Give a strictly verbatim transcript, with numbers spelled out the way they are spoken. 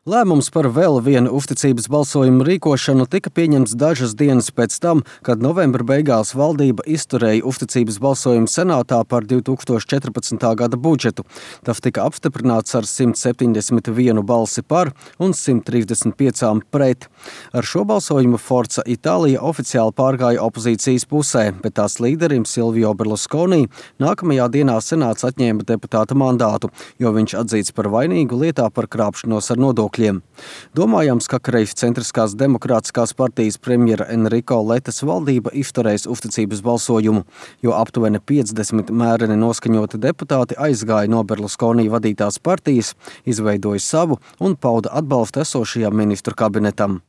Lēmums par vēl vienu uzticības balsojumu rīkošanu tika pieņemts dažas dienas pēc tam, kad novembra beigās valdība izturēja uzticības balsojumu senātā par divi tūkstoši četrpadsmitā gada budžetu. Tas tika apstiprināts ar simt septiņdesmit vienu balsi par un simt trīsdesmit piecām pret. Ar šo balsojumu Forza Itālija oficiāli pārgāja opozīcijas pusē, bet tās līderim Silvio Berlusconi nākamajā dienā senāts atņēma deputāta mandātu, jo viņš atzīts par vainīgu lietā par krāpšanos ar nodokļiem. Domājams, ka Kreis centriskās demokrātiskās partijas premjera Enrico Letas valdība izturēs uzticības balsojumu, jo aptuveni piecdesmit mēreni noskaņoti deputāti aizgāja no Berlusconi vadītās partijas, izveidoja savu un pauda atbalstu esošajam ministru kabinetam.